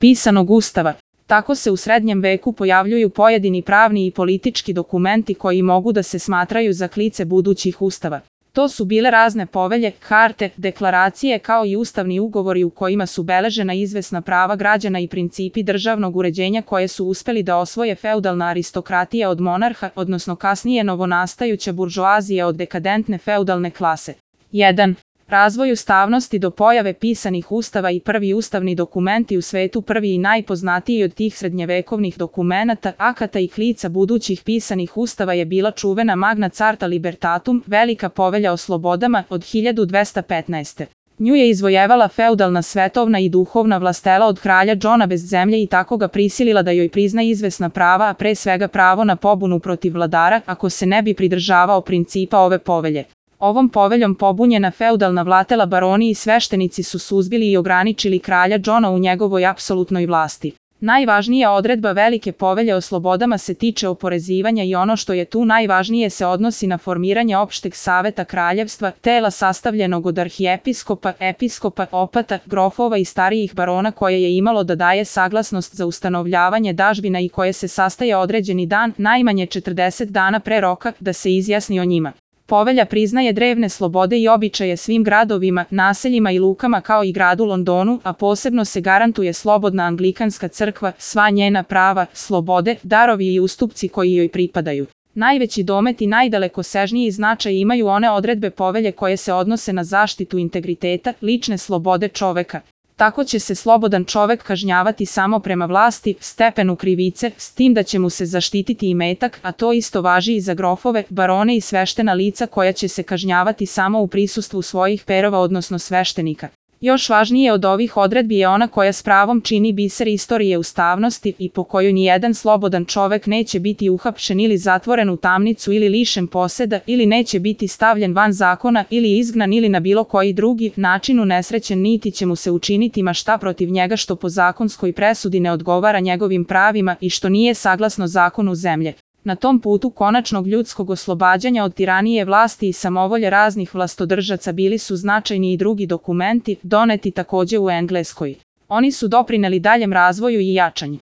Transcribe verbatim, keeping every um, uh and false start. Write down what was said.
pisanog ustava. Tako se u srednjem veku pojavljuju pojedini pravni i politički dokumenti koji mogu da se smatraju za klice budućih ustava. To su bile razne povelje, karte, deklaracije kao i ustavni ugovori u kojima su beležena izvesna prava građana i principi državnog uređenja koje su uspeli da osvoje feudalna aristokratija od monarha, odnosno kasnije novonastajuća buržoazija od dekadentne feudalne klase. jedan. Razvoj ustavnosti do pojave pisanih ustava i prvi ustavni dokumenti u svetu. Prvi i najpoznatiji od tih srednjevekovnih dokumenata, akata i klica budućih pisanih ustava je bila čuvena Magna Carta Libertatum, Velika povelja o slobodama od hiljadu dvesta petnaeste. Nju je izvojevala feudalna svetovna i duhovna vlastela od kralja Johna bez zemlje i tako ga prisilila da joj prizna izvesna prava, a pre svega pravo na pobunu protiv vladara ako se ne bi pridržavao principa ove povelje. Ovom poveljom pobunjena feudalna vlatela baroni i sveštenici su suzbili i ograničili kralja Johna u njegovoj apsolutnoj vlasti. Najvažnija odredba Velike povelje o slobodama se tiče oporezivanja i ono što je tu najvažnije se odnosi na formiranje opšteg saveta kraljevstva, tela sastavljenog od arhijepiskopa, episkopa, opata, grofova i starijih barona koje je imalo da daje saglasnost za ustanovljavanje dažbina i koje se sastaje određeni dan, najmanje četrdeset dana pre roka, da se izjasni o njima. Povelja priznaje drevne slobode i običaje svim gradovima, naseljima i lukama kao i gradu Londonu, a posebno se garantuje slobodna anglikanska crkva, sva njena prava, slobode, darovi i ustupci koji joj pripadaju. Najveći domet i najdalekosežniji značaj imaju one odredbe povelje koje se odnose na zaštitu integriteta, lične slobode čoveka. Tako će se slobodan čovek kažnjavati samo prema vlasti, stepenu krivice, s tim da će mu se zaštititi imetak, a to isto važi i za grofove, barone i sveštena lica koja će se kažnjavati samo u prisustvu svojih perova odnosno sveštenika. Još važnije od ovih odredbi je ona koja s pravom čini biser istorije ustavnosti i po kojoj nijedan slobodan čovek neće biti uhapšen ili zatvoren u tamnicu ili lišen poseda ili neće biti stavljen van zakona ili izgnan ili na bilo koji drugi način unesrećen niti će mu se učiniti ma šta protiv njega što po zakonskoj presudi ne odgovara njegovim pravima i što nije saglasno zakonu zemlje. Na tom putu konačnog ljudskog oslobađanja od tiranije vlasti i samovolje raznih vlastodržaca bili su značajni i drugi dokumenti, doneti takođe u Engleskoj. Oni su doprineli daljem razvoju i jačanju